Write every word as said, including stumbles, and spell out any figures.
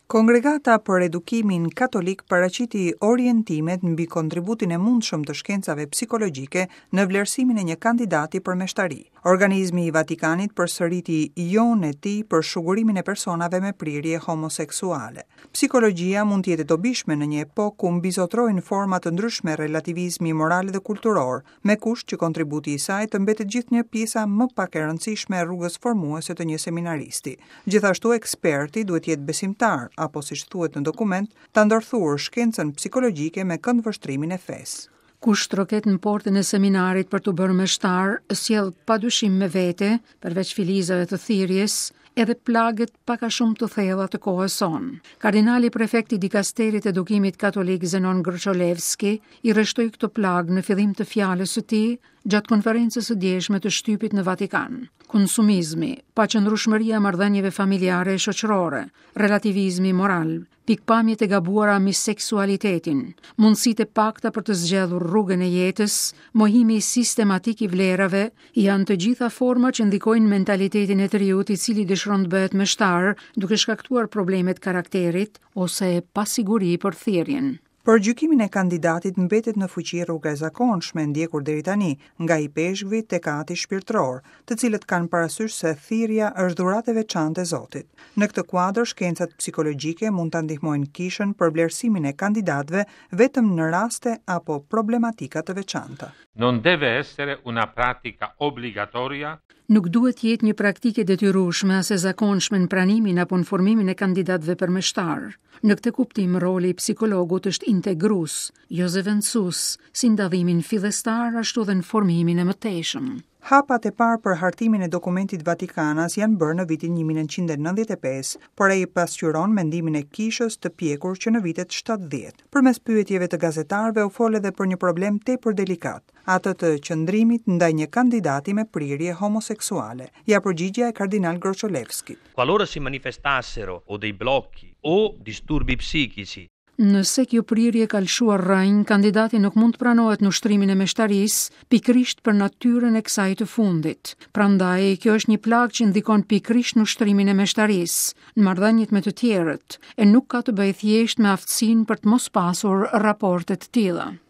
Kongregata për Edukimin Katolik paraqiti orientimet mbi kontributin e mundshëm të shkencave psikologjike në vlerësimin e një kandidati për meshtari. Organizmi i Vatikanit përsëriti jo-në e tij për shugurimin e personave me prirje homoseksuale. Psikologjia mund të jetë e dobishme në një epokë ku mbizotrojnë forma të ndryshme relativizmi moral dhe kulturor, me kusht që kontributi i saj të mbetet gjithnjë pjesa më pak e rëndësishme e rrugës formuese të një seminaristi. Gjithashtu eksperti duhet të jetë besimtar, apo siç thuhet në dokument, ta ndërthurë shkencën psikologjike me këndvështrimin e fesë. Kush troket në portën e seminarit për të bërë meshtar, sjell padyshim me vete, përveç filizave të thirrjes, edhe plagët pak a shumë të thella të kohës sonë. Kardinali prefekti i dikasterit të edukimit katolik Zenon Grocholewski i rreshtoi këto plagë në fillim të fjalës së tij gjatë konferencës së djeshme të shtypit në Vatikan. Konsumizmi, paqëndrueshmëria e marrëdhënieve familjare e shoqërore, relativizmi moral, pikpamjet e gabuara mbi seksualitetin, mundësitë e pakta për të zgjedhur rrugën e jetës, mohimi sistematik i vlerave, janë të gjitha forma që ndikojnë mentalitetin e të riut i cili dëshiron të bëhet meshtar, duke shkaktuar probleme të karakterit ose pasiguri për thirrjen. Për gjykimin e kandidatit mbetet në fuqi rruga e zakonshme ndjekur deri tani nga ipeshkvi tek ati shpirtëror, të cilët kanë parasysh se thirrja është dhuratë e veçantë e Zotit. Në këtë kuadër, shkencat psikologjike mund ta ndihmojnë kishën për vlerësimin e kandidatëve vetëm në raste apo problematika të veçanta. Non deve essere una pratica obbligatoria. Nuk duhet të jetë një praktikë e detyrueshme as e zakonshme në pranimin apo në formimin e kandidatëve për meshtar. Në këtë kuptim, roli i psikologut është integrues, jo zëvendësues, si në dallimin fillestar ashtu edhe në formimin e mëtejshëm. Hapat e parë për hartimin e dokumentit Vatikanas janë bërë në vitin një mijë e nëntëqind e nëntëdhjetë e pesë, por ai pasqyron mendimin e kishës të pjekur që në vitet shtatëdhjetë. Përmes pyetjeve të gazetarëve u fol edhe për një problem tepër delikat, atë të qëndrimit ndaj një kandidati me prirje homoseksuale. Ja përgjigjja e kardinal Grocholewskit. Qualora si manifestassero o dei blocchi o disturbi psichici. Nëse kjo prirje ka lëshuar rrënjë, kandidati nuk mund të pranohet në ushtrimin e meshtarisë, pikërisht për natyrën e kësaj të fundit. Prandaj, kjo është një plagë që ndikon pikërisht në ushtrimin e meshtarisë, në marrëdhëniet me të tjerët, e nuk ka të bëjë thjesht me aftësinë për të mos pasur raporte të tilla.